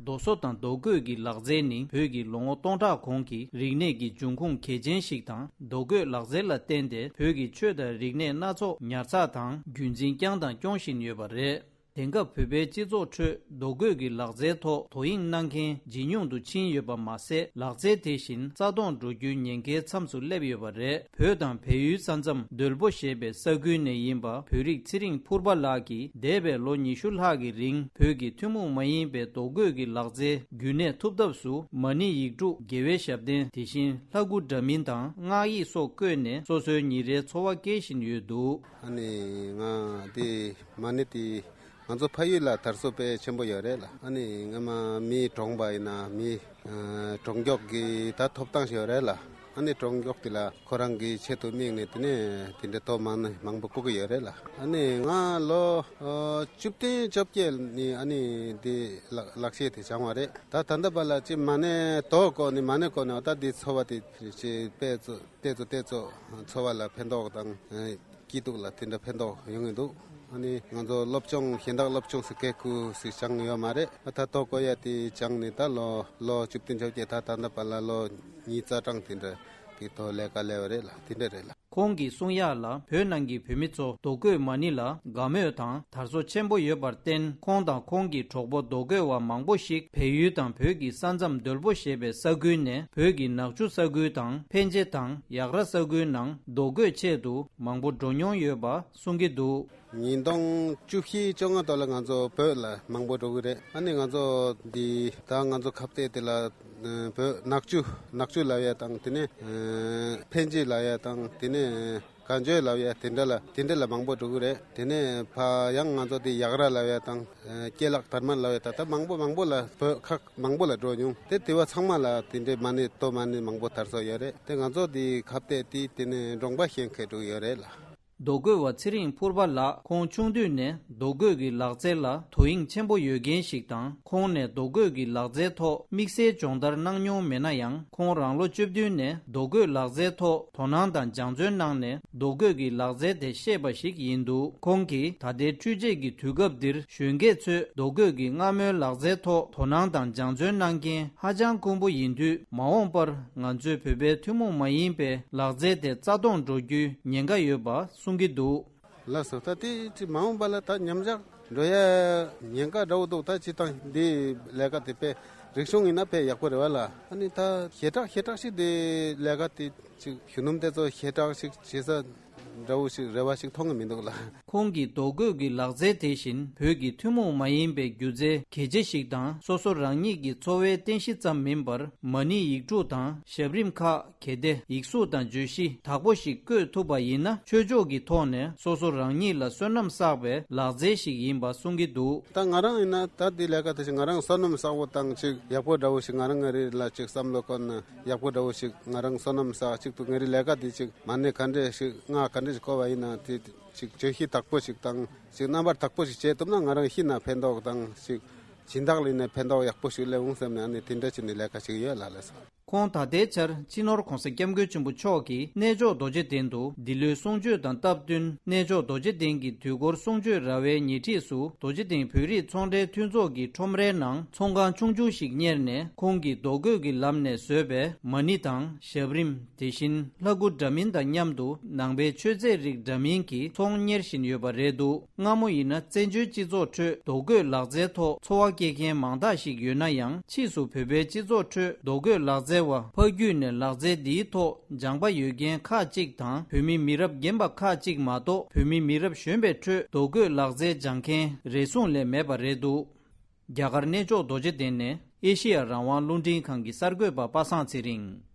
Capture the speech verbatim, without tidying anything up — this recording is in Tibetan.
རྡོ་བཟོ་དང་རྡོ་བརྐོས་ཀྱི་ལག་རྩལ་ནི་བོད་ཀྱི་ལོ་ངོ་སྟོང་ཕྲག་གོང་གི་རིག་གནས་ཀྱི་འབྱུང་ཁུངས་གལ་ཆེན་ཞིག་དང་། རྡོ་བརྐོས་ལག་རྩལ་ལ་བརྟེན་ཏེ་བོད་ཀྱི་ཆོས་དང་རིག་གནས་སྣ་ཚོགས་ཉར་ཚགས་དང་རྒྱུན་འཛིན་བསྐྱངས་དང་སྐྱོང་བཞིན་ཡོད་པ་རེད། དེང་སྐབས་བོད་པའི་སྤྱི་ཚོགས་ཁྲོད་རྡོ་བརྐོས་ཀྱི་ལག་རྩལ་ཐོག་དོ་དབྱིངས་གནང་མཁན་ཇེ་ཉུང་དུ་ཕྱིན་ཡོད་པ་མ་ཟད། ལག་རྩལ་དེ་བཞིན་རྩ་སྟོངས་འགྲོ་རྒྱུའི་ཉེན་ཁའི་མཚམས་སུ་སླེབས་ཡོད་པ་རེད། བོད་དང་བལ་ཡུལ་ས་མཚམས་རྡོལ་པོ་ཞེས་པའི་ས་ཁུལ་ནས་ཡིན་པ་བོད་རིགས་ཚེ་རིང་ཕུར་པ་ལགས་ཀྱིས་འདས་པའི་ལོ་ཉི་ཤུ་ལྷག་གི་རིང་བོད་ཀྱི་ཐུན་མོང་མ་ཡིན་པའི་རྡོ་བརྐོས་ཀྱི་ལག་རྩལ་རྒྱུན་གནས་ཐུབ་ཐབས་སུ་མ་ཎི་ཡིག་དྲུག་དགེ་བའི་ཞབས་བརྟན། དེ་བཞིན་ལྷ་སྐུ་འདྲ་མིན་དང་སྔགས་ཡིག་སོགས་བརྐོས་ནས་སོ་སོའི་ཉིན་རེའི་འཚོ་བ་སྐྱེལ་བཞིན་ཡོད་འདུག་ཨ་ནི་ང་དེ་མ་ཎི་དེ་ང་ཚོ་ཕ་ཡུལ་ལ་དར་སྲོལ་དཔེ་ཆེན་པོ་ཡོད་རེད་ལ། ཨ་ནི་སྔ་མ་མི་གྲོངས་པ་ཡིན་ན་མི་ཨ་གྲོངས་མགྱོགས་ཀྱི་ད་ཐོབ་ཐང་ཞིག་ཡོད་རེད་ལ། ཨ་ནི་གྲོངས་མགྱོགས་དེ་ལ་ཁོ་རང་གི་ཆེད་དུ་དམིགས་ནས་དེ་ནས་དེ་འདྲའི་ཐོག་མ་ཎི་མང་པོ་བརྐོ་གི་ཡོད་རེད་ལ། ཨ་ནི་ང་ལོ་ཨ་བཅུ་བདུན་བཅོ་བརྒྱད་ནས་ཨ་ནི་དེ་ལག་ལག་ཤེས་དེ་སྦྱངས་པ་རེད། ད་ད་ལྟ་བར་ལ་ཅི་མ་ཎི་རྡོ་བརྐོས་ནས་མ་ཎི་བརྐོས་ནས་ད་དེ་འཚོ་བ་དེ་ཅི་དཔེ་ཚོ་དེ་ཚོ་དེ་ཚོ་འཚོ་བ་ལ་ཕན་ཐོགས་དང་། སྐྱིད་སྡུག་ལ་དེ་འདྲ་ཕན་ཐོགས་ཡོང་གི་འདུག་ཨ་ནི་ང་ཚོ་སློབ་སྦྱོང་གཞན་དག་སློབ་སྦྱོང་ཟེར་མཁན་ཁུལ་ཞིག་སྦྱངས་ཡོད་མ་རེད། ད་ལྟ་རྡོ་བརྐོ་ཡ་དེ་སྦྱངས་ནས་ད་ལོ་ལོ་བཅུ་བདུན་བཅོ་བརྒྱད་ད་ད་ལྟ་བར་ལ་ལོ་ཉིས་རྩ་གྲངས་དེ་འདྲ་གི་ཐོག་ལས་ཀ་ལས་པ་རེད་ལ། དེ་འདྲ་རེད་ལ། ཁོང་གིས་གསུང་ཡག་ལ་བོད་ནང་གི་བོད་མི་ཚོ་རྡོ་བརྐོས་མ་ཎི་ལ་དགའ་མོས་དང་དར་སྲོལ་ཆེན་པོ་ཡོད་པར་བརྟེན། ཁོང་དང་ཁོང་གི་གྲོགས་པོ་རྡོ་བརྐོས་པ་མང་པོ་ཞིག་བལ་ཡུལ་དང་བོད་ཀྱི་ས་མཚམས་རྡོལ་པོ་ཞེས་པའི་ས་ཁུལ་ནས་བོད་ཀྱི་ནག་ཆུ་ས་ཁུལ་དང་ཕན་ཆེ་དང་ཡག་ར་ས་ཁུལ་ནང་རྡོ་བརྐོས་ཆེད་དུ་མང་པོ་འགྲོ་མྱོང་ཡོད་པ་གསུང་གི་འདུག་ཉིས་སྟོང་བཅུ་བཞི་བཅོ་ལྔ་ཐོག་ལ་ང་ཚོ་བོད་ལ་མང་པོ་འགྲོ་གི་རེད། ཨ་ནི་ང་ཚོ་འདི་ད་ང་ཚོ་ཁ་གཏད་དེ་ལ་བོད་ནག་ཆུ་ནག་ཆུ་ལབ་ཡ་དང་དེ་ནས་ཕན་ཆེ་ལབ་ཡ་དང་དེ་ནས་གན་ཇོ་ལབ་ཡ་དེ་འདྲ་ལ་དེ་འདྲ་ལ་མང་པོ་འགྲོ་གི་རེད། དེ་ནས་ཕ་ཡང་ང་ཚོ་དེ་ཡག་ར་ལབ་ཡ་དང་ཀེ་ལག་དར་མ་ལབ་ཡ་ད་ལྟ་མང་པོ་མང་པོ་ལ་བོད་ཁག་མང་པོ་ལ་འགྲོ་མྱོང་། དེ་དེ་བ་ཚང་མ་ལ་དེ་འདྲའི་མ་ཎི་རྡོ་མ་ཎི་མང་པོ་དར་སྲོལ་ཡོད་རེད། དེ་ང་ཚོ་དེ་ཁ་གཏད་དེ་དེ་ནས་གྲོང་པ་གཞན་ཁེ་འགྲོ་གི་ཡོད་རེད་ལ། རྡོ་བརྐོས་པ་ཚེ་རིང་ཕུར་པ་ལགས་ཁོང་ཆུང་དུས་ནས་རྡོ་བརྐོས་ཀྱི་ལག་རྩལ་ལ་དོ་དབྱིངས་ཆེན་པོ་ཡོད་མཁན་ཞིག་དང་། ཁོང་ནས་རྡོ་བརྐོས་ཀྱི་ལག་རྩལ་ཐོག་དམིགས་བསལ་སྦྱོང་བརྡར་གནང་མྱོང་མེད་ན་ཡང་། ཁོང་རང་ལོ་བཅུ་བདུན་ནས་རྡོ་བརྐོས་ལག་རྩལ་ཐོག་དོ་སྣང་དང་སྦྱང་བརྩོན་གནང་ནས་རྡོ་བརྐོས་ཀྱི་ལག་རྩལ་དེ་ཤེས་པ་ཞིག་ཡིན་འདུག་ཁོང་གིས་ད་ལྟའི་འཕྲུལ་ཆས་ཀྱི་དུས་སྐབས་འདིར་གཞོན་སྐྱེས་ཚོས་རྡོ་བརྐོས་ཀྱི་སྔ་མོའི་ལག་རྩལ་ཐོག་དོ་སྣང་དང་སྦྱང་བརྩོན་གནང་མཁན་ཧ་ཅང་དཀོན་པོ་ཡིན་དུས། མ་འོངས་པར་ང་ཚོའི་བོད་པའི་ཐུན་མོང་མ་ཡིན་པའི་ལག་རྩལ་དེ་རྩ་སྟོངས་འགྲོ་རྒྱུའི་ཉེན་ཁ་ཡོད་པ་གསུང་གི་འདུག་ལགས་སོ། ད་དེ་ཅི་མ་འོངས་པ་ལ་ད་ཉམས་ཆག་འགྲོ་ཡ་ཉེན་ཁ་འདྲ་བོ་འདུག་ད་སྤྱིར་བཏང་འདི་ལས་ཀ་དེ་དཔེ་རིག་གཞུང་ཡིན་ན་དཔེ་ཡག་པོ་རེད་བ་ལ། ཨ་ནི་ད་ཞེ་དྲག་ཞེ་དྲག་ཞིག་འདི་ལས་ཀ་དེ་ཅིག་གཞོན་ནུ་དེ་ཚོ་ཞེ་དྲག་ཞིག་བྱེད་ས་འདྲ་བོ་ཞིག་རེ་བ་ཞིག་མཐོང་གི་མི་འདུག་ལ། ཁོང་གིས་རྡོ་བརྐོས་ཀྱི་ལག་རྩལ་དེ་བཞིན་བོད་ཀྱི་ཐུན་མོང་མ་ཡིན་པའི་སྒྱུ་རྩལ་གལ་ཆེ་ཞིག་དང་། སོ་སོ་རང་ཉིད་ཀྱི་འཚོ་བའི་རྟེན་གཞི་ཙམ་མིན་པར། མ་ཎི་ཡིག་དྲུག་དང་ཞབས་རིམ་ཁག་གལ་ཏེ་ཡིག་གཟུགས་དང་བརྗོད་གཞི་དག་པོ་ཞིག་བཀོད་ཐུབ་པ་ཡིན་ན། ཆོས་ཕྱོགས་ཀྱི་ཐོག་ནས་སོ་སོ་རང་ཉིད་ལ་བསོད་ནམས་བསགས་པའི་ལག་རྩལ་ཞིག་ཡིན་པ་གསུང་གི་འདུག་ད་ང་རང་ཡིན་ན་ད་འདི་ལས་ཀ་དེ་བཞིན་ང་རང་བསོད་ནམས་བསགས་པོ་དང་ཅིག་ཡག་པོ་འདྲ་བོ་ཞིག་ང་རང་ངའི་རིགས་ལ་ཅིག་བསམ་བློ་འཁོར་ན་ཡག་པོ་འདྲ་བོ་ཞིག་ང་རང་བསོད་ནམས་བསགས་ཅིག་ཏུ་ངའི་རིགས་ལས་ཀ་དེ་ཅིག་མ་ཎི་ག་འདྲས་ཞིག་སྔགས་ག་འདྲས་ཞིག་བརྐོ་བ་ཡིན་ན་དེ་ཅིག་བརྗོད་གཞི་དག་པོ་ཞིག་དང་ཅིག་རྣམ་པར་དག་པོ་ཞིག་བྱེད་ཐུབ་ན་ང་རང་ཤི་ན་ཕན་ཐོགས་དང་ཅིག་སྦྱིན་བདག་ལ་ཡིན་ན་ཕན་ཐོགས་ཡག་པོ་ཞིག་སླེབས་འོང་བསམ་ནས་ཨ་ནི་དེ་འདྲ་བྱས་ནས་ལས་ཀ་བྱེད་ཀྱི་ཡོད་ལགས་ལགས་སོ། ཁོང་ད་ལྟའི་ཆར་སྤྱི་ནོར་༧གོང་ས་༧སྐྱབས་མགོན་ཆེན་པོ་མཆོག་གིས་གནས་མཆོག་རྡོ་རྗེ་གདན་དུ་འདི་ལོའི་གསུང་ཆོས་དང་སྟབས་བསྟུན་གནས་མཆོག་རྡོ་རྗེ་གདན་གྱི་དུས་འཁོར་གསུང་ཆོས་ར་བའི་ཉེ་འཁྲིས་སུ་རྡོ་རྗེ་གདན་བོད་རིགས་ཚོང་འབྲེལ་མཐུན་ཚོགས་ཀྱི་ཁྲོམ་རའི་ནང་ཚོང་ཁང་ཆུང་ཆུང་ཞིག་གཉེར་ནས་ཁོང་གིས་རྡོ་བརྐོས་ཀྱི་ལམ་ནས་བཟོས་པའི་མ་ཎི་དང་ཞབས་རིམ། དེ་བཞིན་ལྷ་སྐུ་འདྲ་མིན་དང་མཉམ་དུ་ནང་པའི་མཆོད་རྫས་རིགས་འདྲ་མིན་གྱི་ཚོང་གཉེར་བཞིན་ཡོད་པ་རེད་འདུག་སྔ་མོ་ཡིན་ན་བཙན་བྱོལ་སྤྱི་ཚོགས་ཁྲོད་རྡོ་བརྐོས་ལག་རྩལ་ཐོག་འཚོ་བ་སྐྱེལ་མཁན་མང་དག་ཞིག་ཡོད་ན་ཡང་། ཕྱིས་སུ་བོད་པའི་སྤྱི་ཚོགས་ཁྲོད་རྡོ་བརྐོས་ལག་རྩལ་བ་ཕ་རྒྱུད་ནས་ལག་རྩལ་འདིའི་ཐོག་སྦྱངས་པ་ཡོད་མཁན་ཁག་ཅིག་དང་། བོད་མི་མི་རབས་རྒན་པ་ཁག་ཅིག་མ་གཏོགས། བོད་མི་མི་རབས་གཞོན་པའི་ཁྲོད་རྡོ་བརྐོས་ལག་རྩལ་སྦྱང་མཁན་རེ་ཟུང་ལས་མེད་པ་རེད་འདུག་རྒྱ་གར་གནས་མཆོག་རྡོ་རྗེ་གདན་ནས་ཨེ་ཤེ་ཡ་རང་དབང་རླུང་འཕྲིན་ཁང་གི་གསར་འགོད་པ་པ་སངས་ཚེ་རིང་།